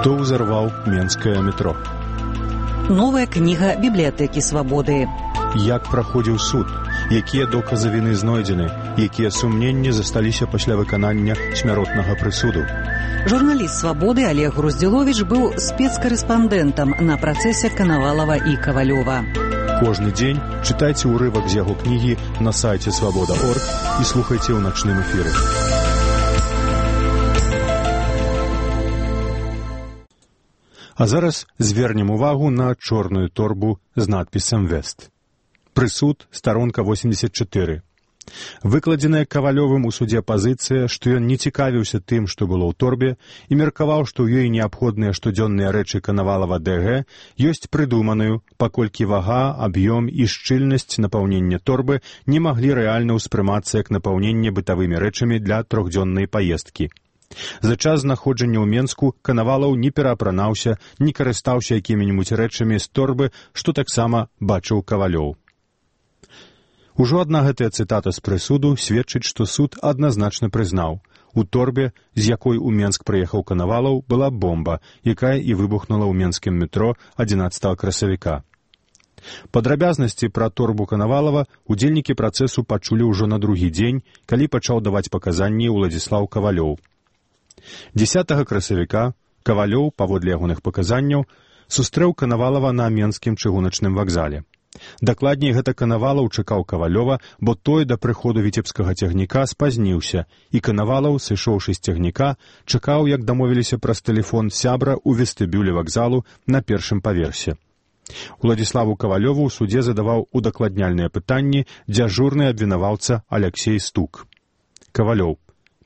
Хто ўзарваў менскае метро? Новая кніга бібліятэкі свабоды. Як праходзіў суд? Якія доказы віны знойдзены? Якія сумненні засталіся пасля выканання смяротнага прысуду? Журналіст свабоды Олег Груздзіловіч быў спецкарэспандэнтам на працэсе Канавалова і Кавалёва. Кожны дзень чытайце ўрывак з яго кнігі на сайце свабода.орг і слухайце ў начным эфіры. А зараз звернем увагу на чорную торбу з надпісам «Вест». Прысуд, старонка 84. Выкладзеная Кавалёвым у судзе пазіцыя, што ён не цікавіўся тым, што было ў торбе, і меркаваў, што ў ёй неабходныя штодзённыя рэчы Канавалова ДГ ёсць прыдуманую, паколькі вага, аб'ём і шчыльнасць напаўнення торбы не маглі рэальна ўспрымацца як напаўненне бытавымі рэчамі для трохдзённай паездкі. За час знаходжання ў Менску Канавалаў не пераапранаўся, не карыстаўся якімі-небудзь рэчамі з торбы, што таксама бачыў Кавалёў. Ужо адна гэтая цытата з прысуду сведчыць, што суд адназначна прызнаў. У торбе, з якой у Менск прыехаў Канавалаў, была бомба, якая і выбухнула ў менскім метро 11 красавіка. Падрабязнасці пра торбу Канавалава удзельнікі працэсу пачулі ўжо на другі дзень, калі пачаў даваць паказанні Уладзіслаў Кавалёў. 10 красавіка Кавалёў, паводле ягоных паказанняў, сустрэў Канавалава на Менскім чыгуначным вакзале. Дакладней, гэта Канавалаў чакаў Кавалёва, бо той да прыходу віцебскага цягніка спазніўся, і Канавалаў, сышоўшы з цягніка, чакаў, як дамовіліся праз тэлефон сябра ў вестыбюлі вакзалу на першым паверсе. Уладзіславу Кавалёву ў судзе задаваў удакладняльныя пытанні дзяжурны абвінаваўца Аляксей Стук. Кавалёў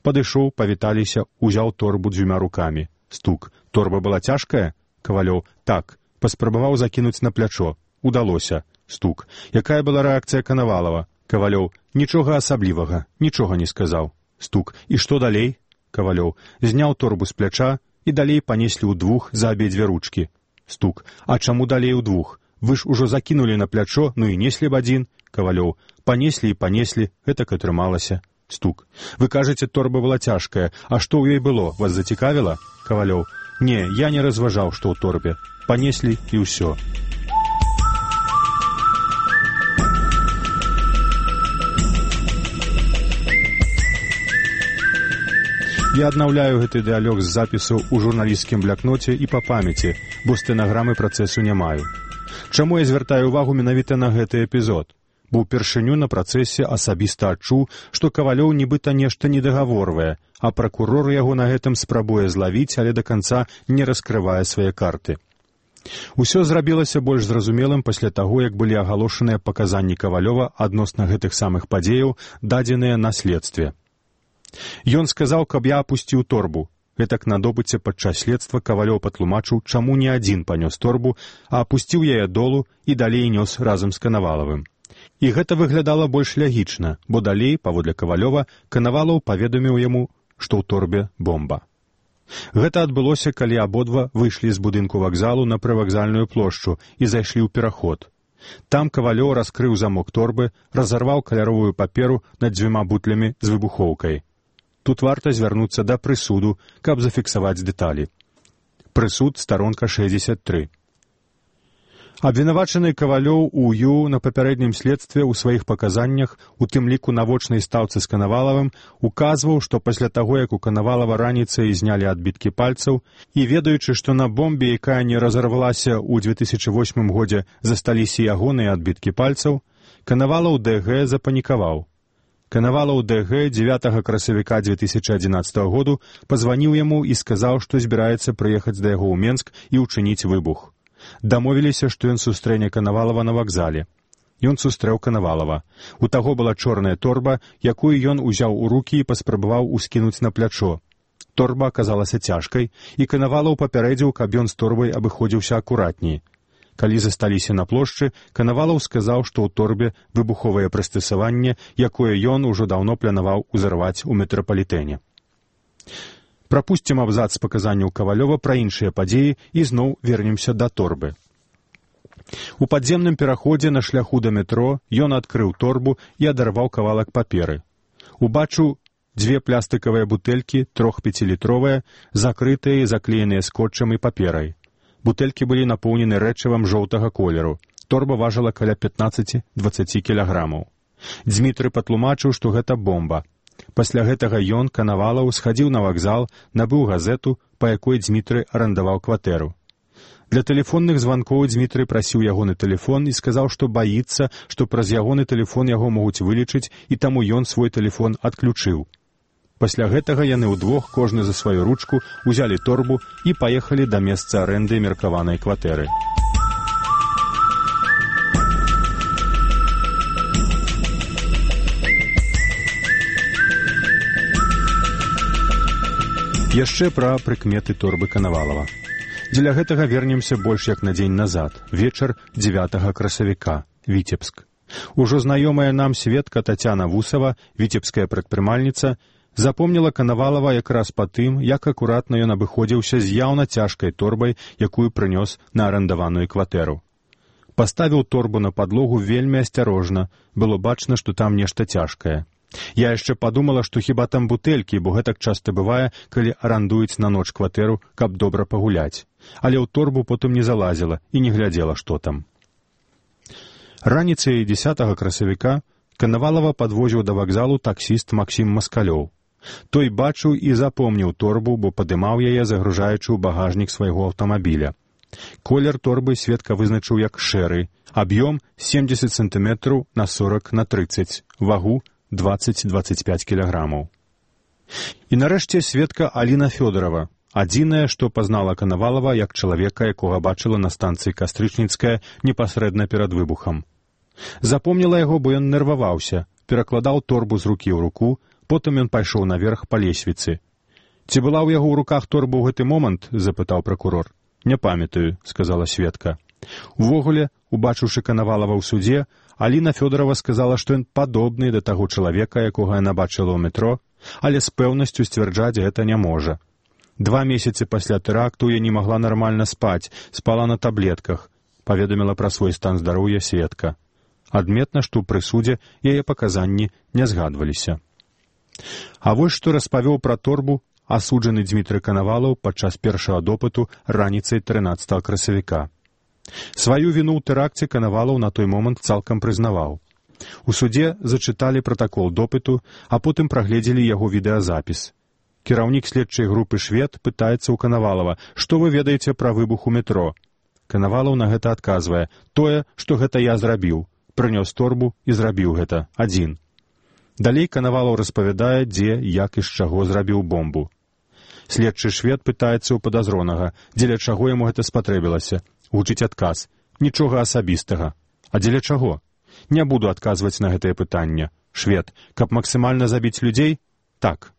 падышоў, павіталіся, узяў торбу 2 рукамі. Стук. Торба была цяжкая? Кавалёў. Так. Паспрабаваў закінуць на плячо. Удалося. Стук. Якая была рэакцыя Канавалава? Кавалёў. Нічога асаблівага. Нічога не сказаў. Стук. І што далей? Кавалёў. Зняў торбу з пляча і далей панеслі ўдвух за абедзве ручкі. Стук. А чаму далей удвух? Вы ж ужо закінулі на плячо, ну і неслі б адзін. Кавалёў. Панеслі і панеслі, гэтак атрымалася. Стук. Вы кажаце, торба была цяжкая. А што ў ёй было? Вас зацікавіла? Кавалёў. Не, я не разважаў, што ў торбе. Панеслі і ўсё. Я аднаўляю гэты дыялог з запісу ў журналісцкім блякноце і па памяці, бо стэнаграмы працэсу не маю. Чаму я звяртаю ўвагу менавіта на гэты эпізод? Бо ўпершыню на працэсе асабіста адчуў, што Кавалёў нібыта нешта недагаворвае, а пракурор яго на гэтым спрабуе злавіць, але да канца не раскрывае свае карты. Усё зрабілася больш зразумелым пасля таго, як былі агалошаныя паказанні Кавалёва адносна гэтых самых падзеяў, дадзеныя на следстве. Ён сказаў, каб я апусціў торбу. Гэтак на допыце падчас следства Кавалёў патлумачыў, чаму не адзін панёс торбу, а апусціў яе долу і далей нёс разам з Канавалавым. І гэта выглядала больш лягічна, бо далей, паводле Кавалёва, Канавалаў паведаміў яму, што ў торбе бомба. Гэта адбылося, калі абодва выйшлі з будынку вакзалу на прывакзальную плошчу і зайшлі ў пераход. Там Кавалёў раскрыў замок торбы, разарваў каляровую паперу над 2 бутлямі з выбухоўкай. Тут варта звярнуцца да прысуду, каб зафіксаваць дэталі. Прысуд, старонка 63. Абвінавачаны Кавалёў У.Ю. на папярэднім следстве ў сваіх паказаннях, у тым ліку на вочнай стаўцы з Канавалавым, указваў, што пасля таго, як у Канавалава раніцай знялі адбіткі пальцаў, і ведаючы, што на бомбе, якая не разарвалася ў 2008 годзе, засталіся ягоныя адбіткі пальцаў, Канавалаў ДГ запанікаваў. Канавалаў ДГ 9 красавіка 2011 году пазваніў яму і сказаў, што збіраецца прыехаць да яго ў Менск і ўчыніць выбух. Дамовіліся, што ён сустрэне Канавалава на вакзале. Ён сустрэў Канавалава. У таго была чорная торба, якую ён узяў у рукі і паспрабаваў ускінуць на плячо. Торба аказалася цяжкай, і Канавалаў папярэдзіў, каб ён з торбай абыходзіўся акуратней. Калі засталіся на плошчы, Канавалаў сказаў, што ў торбе выбуховае прыстасаванне, якое ён ужо даўно планаваў узарваць у метрапалітэне. Прапусцім абзац паказанняў Кавалёва пра іншыя падзеі і зноў вернемся да торбы. У падземным пераходзе на шляху да метро ён адкрыў торбу і адарваў кавалак паперы. Убачыў 2 пластыкавыя бутэлькі, 3 5-літровыя, закрытыя і заклееныя скотчам і паперай. Бутэлькі былі напоўнены рэчывам жоўтага колеру. Торба важыла каля 15-20 кілаграмаў. Дзмітрый патлумачыў, што гэта бомба. Пасля гэтага ён, Канавалаў, схадзіў на вакзал, набыў газету, па якой Дзмітрый арандаваў кватэру. Для тэлефонных званкоў Дзмітрый прасіў ягоны тэлефон і сказаў, што баіцца, што праз ягоны тэлефон яго могуць вылічыць, і таму ён свой тэлефон адключыў. Пасля гэтага яны ўдвох, кожны за сваю ручку, узялі торбу і паехалі да месца арэнды меркаванай кватэры. Яшчэ пра прыкметы торбы Канавалава. Дзеля гэтага вернемся больш як на дзень назад, вечар 9 красавіка, Віцебск. Ужо знаёмая нам сведка Тацяна Вусава, віцебская прадпрымальніца, запомніла Канавалава якраз па тым, як акуратна ён абыходзіўся з яўна цяжкай торбай, якую прынёс на арандаваную кватэру. Паставіў торбу на падлогу вельмі асцярожна, было бачна, што там нешта цяжкае. Я яшчэ падумала, што хіба там бутэлькі, бо гэтак часта бывае, калі арандуюць на ноч кватэру, каб добра пагуляць. Але ў торбу потым не залазіла і не глядзела, што там. Раніцай 10 красавіка Канавалава падвозіў да вакзалу таксіст Максім Маскалёў. Той бачыў і запомніў торбу, бо падымаў яе, загружаючы ў багажнік свайго аўтамабіля. Колер торбы сведка вызначыў як шэры, аб'ём 70 см на 40 на 30, вагу 20-25 кілаграмаў. І нарэшце сведка Аліна Фёдорова, адзіная, што пазнала Канавалава як чалавека, якога бачыла на станцыі Кастрычніцкая непасрэдна перад выбухам. Запомніла яго, бо ён нерваваўся, перакладаў торбу з рукі ў руку, потым ён пайшоў наверх па лесвіцы. «Ці была ў яго ў руках торба ў гэты момант?» — запытаў пракурор. «Не памятаю», — сказала сведка. Увогуле, убачыўшы Канавалава ў судзе, Аліна Фёдорова сказала, што ён падобны да таго чалавека, якога яна бачыла ў метро, але з пэўнасцю сцвярджаць гэта не можа. 2 месяцы пасля тэракту я не магла нармальна спаць, спала на таблетках, паведаміла пра свой стан здароўя сведка. Адметна, што ў прысудзе яе паказанні не згадваліся. А вось што распавёў пра торбу асуджаны Дзмітрый Канавалаў падчас першага допыту раніцай 13 красавіка. Сваю віну ў тэракце Канавалаў на той момант цалкам прызнаваў. У судзе зачыталі пратакол допыту, а потым прагледзелі яго відэазапіс. Кіраўнік следчай групы «Швед» пытаецца ў Канавалава, што вы ведаеце пра выбух у метро. Канавалаў на гэта адказвае: тое, што гэта я зрабіў. Прынёс торбу і зрабіў гэта адзін. Далей Канавалаў распавядае, дзе, як і з чаго зрабіў бомбу. Следчы «Швед» пытаецца ў падазронага, дзеля чаго яму гэта спатрэбілася. Гучыць адказ: нічога асабістага. А дзеля чаго? Не буду адказваць на гэтае пытанне. «Швед, каб максімальна забіць людзей?» Так.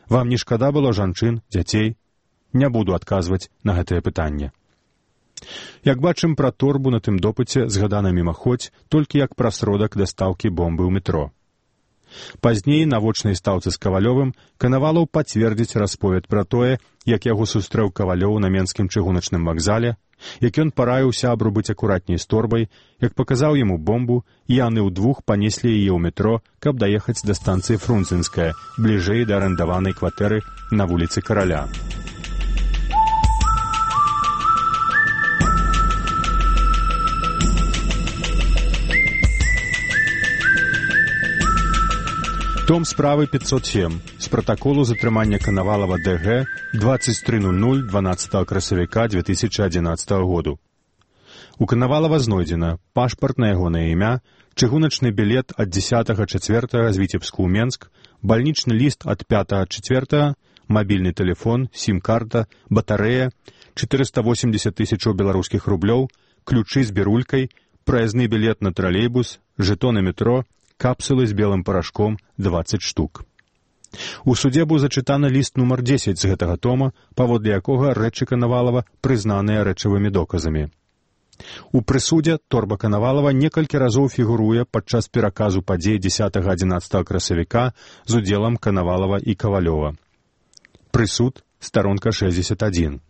Вам не шкада было жанчын, дзяцей? Не буду адказваць на гэтае пытанне. Як бачым, пра торбу на тым допыце згадана мімаходзь, толькі як пра сродак дастаўкі бомбы ў метро. Пазней на вочнай стаўцы з Кавалёвым Канавалаў пацвердзіць расповед пра тое, як яго сустрэў Кавалёў на Менскім чыгуначным вакзале, як ён параіў сябру быць акуратней з торбай, як паказаў яму бомбу, і яны ўдвух панеслі яе ў метро, каб даехаць да станцыі Фрунзенская, бліжэй да арандаванай кватэры на вуліцы Караля. Том справы 507 з пратаколу затрымання Канавалава ДГ 23:00 12 красавіка 2011 году. У Канавалава знойдзена пашпарт на ягонае імя, чыгуначны білет ад 10.04 з Віцебску ў Менск, бальнічны ліст ад 5.04, мабільны тэлефон, сім-карта, батарэя, 480 000 беларускіх рублёў, ключы з бірулькай, праязны білет на тралейбус, жэтоны метро, капсулы з белым парашком 20 штук. У судзе быў зачытаны ліст нумар 10 з гэтага тома, паводле якога рэчы Канавалава прызнаныя рэчавымі доказамі. У прысудзе торба Канавалава некалькі разоў фігуруе падчас пераказу падзей 10-11 красавіка з удзелам Канавалава і Кавалёва. Прысуд, старонка 61.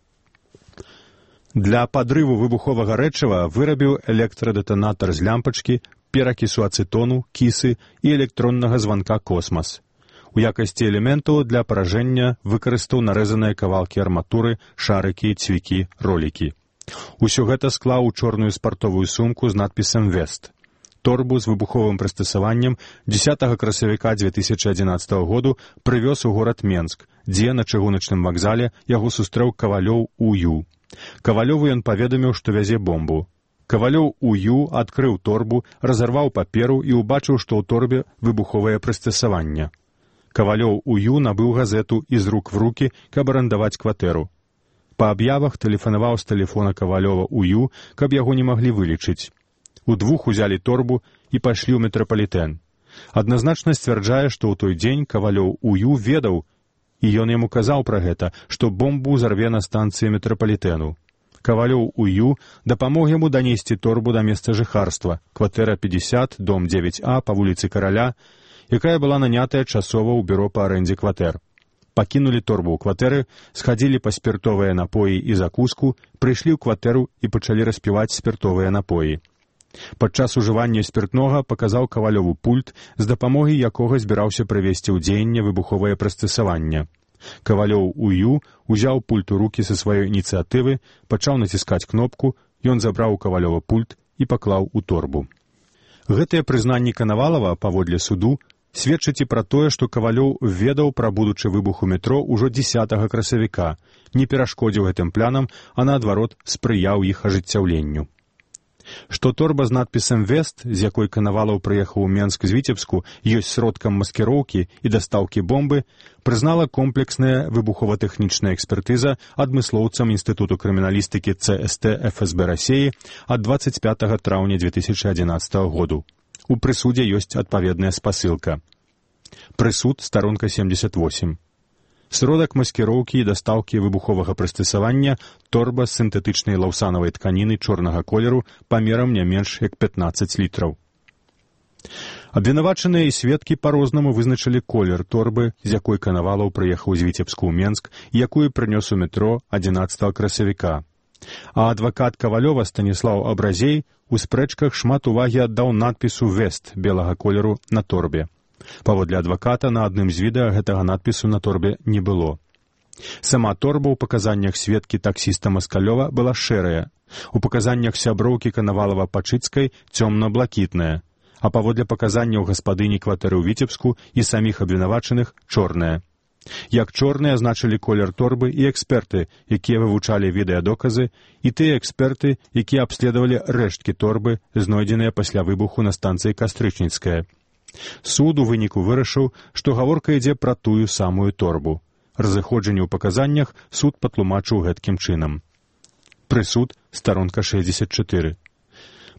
Для падрыву выбуховага рэчыва вырабіў электрадэтанатар з лямпачкі, перакісу ацэтону, кісы і электроннага званка «Космас». У якасці элементаў для паражэння выкарыстаў нарэзаныя кавалкі арматуры, шарыкі, цвікі, ролікі. Усё гэта склаў у чорную спартовую сумку з надпісам «Вест». Торбу з выбуховым прыстасаваннем 10 красавіка 2011 году прывёз у горад Менск, дзе на чыгуначным вакзале яго сустрэў Кавалёў У.Ю. Кавалёву ён паведаміў, што вязе бомбу. Кавалёў У.Ю. адкрыў торбу, разарваў паперу і ўбачыў, што ў торбе выбуховае прыстасаванне. Кавалёў У.Ю. набыў газету і з рук в рукі, каб арандаваць кватэру. Па аб'явах тэлефанаваў з тэлефона Кавалёва У.Ю., каб яго не маглі вылечыць. Удвух узялі торбу і пайшлі ў метрапалітэн. Адназначна сцвярджае, што ў той дзень Кавалёў У.Ю. ведаў, і ён яму казаў пра гэта, што бомбу зарве на станцыі метрапалітэну. Кавалёў У.Ю. дапамог яму данесці торбу да месца жыхарства, кватэра 50, дом 9А па вуліцы Караля, якая была нанятая часова ў бюро па арэндзе кватэр. Пакінулі торбу ў кватэры, схадзілі па спіртовыя напоі і закуску, прыйшлі ў кватэру і пачалі распіваць спіртовыя напоі. Падчас ужывання спіртнога паказаў Кавалёву пульт, з дапамогай якога збіраўся прывесці ў дзеянне выбуховае прыстасаванне. Кавалёў У.Ю. узяў пульт у рукі са сваёй ініцыятывы, пачаў націскаць кнопку, ён забраў у Кавалёва пульт і паклаў у торбу. Гэтыя прызнанні Канавалава, паводле суду, сведчаць і пра тое, што Кавалёў ведаў пра будучы выбух у метро ўжо 10 красавіка, не перашкодзіў гэтым планам, а наадварот спрыяў іх ажыццяўленню. Што торба з надпісам «Вест», з якой Канавалаў прыехаў у Менск з Віцебску, ёсць сродкам маскіроўкі і дастаўкі бомбы, прызнала комплексная выбухова-тэхнічная экспертыза адмыслоўцам Інстытуту крыміналістыкі ЦСТ ФСБ Расіі ад 25 траўня 2011 году. У прысудзе ёсць адпаведная спасылка. Прысуд, старонка 78. Сродак маскіроўкі і дастаўкі выбуховага прыстасавання торба з сінтэтычнай лаўсанавай тканіны чорнага колеру памерам не менш як 15 літраў. Абвінавачаныя і сведкі па-рознаму вызначылі колер торбы, з якой Канавалаў прыехаў з Віцебску ў Менск, якую прынёс у метро 11 красавіка. А адвакат Кавалёва Станіслаў Абразей у спрэчках шмат увагі аддаў надпісу «Вест» белага колеру на торбе. Паводле адваката, на адным з відэа гэтага надпісу на торбе не было. Сама торба ў паказаннях сведкі таксіста Маскалёва была шэрая, у паказаннях сяброўкі Канавалава-Пачыцкай цёмна-блакітная, а паводле паказанняў гаспадыні кватэры ў Віцебску і саміх абвінавачаных чорная. Як чорныя азначылі колер торбы і эксперты, якія вывучалі відэадоказы, і тыя эксперты, якія абследавалі рэшткі торбы, знойдзеныя пасля выбуху на станцыі Кастрычніцкая. Суд у выніку вырашыў, што гаворка ідзе пра тую самую торбу. Разыходжанне ў паказаннях суд патлумачыў гэткім чынам. Прысуд, старонка 64.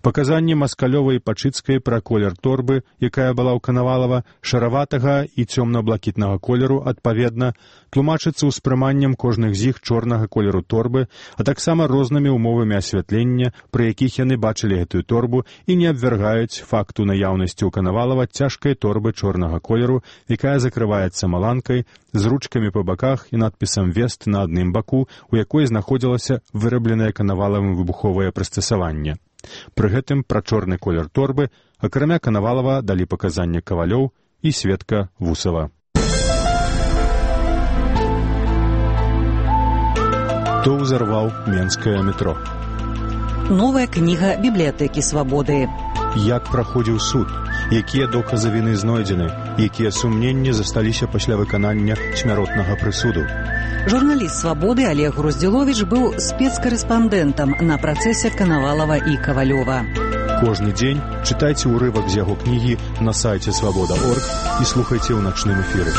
Паказанні Маскалёва і Пачыцкай пра колер торбы, якая была ў Канавалава, шараватага і цёмна-блакітнага колеру, адпаведна, тлумачыцца ўспрыманнем кожных з іх чорнага колеру торбы, а таксама рознымі ўмовамі асвятлення, пры якіх яны бачылі гэтую торбу і не абвяргаюць факту наяўнасці ў Канавалава цяжкай торбы чорнага колеру, якая закрываецца маланкай, з ручкамі па баках і надпісам «Вест» на адным баку, у якой знаходзілася вырабленае Канавалавым выбуховае прыстасаванне. Пры гэтым пра чорны колер торбы, акрамя Канавалава, далі паказанне Кавалёў і сведка Вусава. Хто ўзарваў менскае метро? Новая кніга бібліятэкі свабоды. Як праходзіў суд? Якія доказы віны знойдзены? Якія сумненні засталіся пасля выканання смяротнага прысуду? Журналіст «Свабоды» Олег Груздзіловіч быў спецкарэспандэнтам на працэсе Канавалава і Кавалёва. Кожны дзень чытайце ўрывак з яго кнігі на сайце свабода.орг і слухайце ў начным эфіры.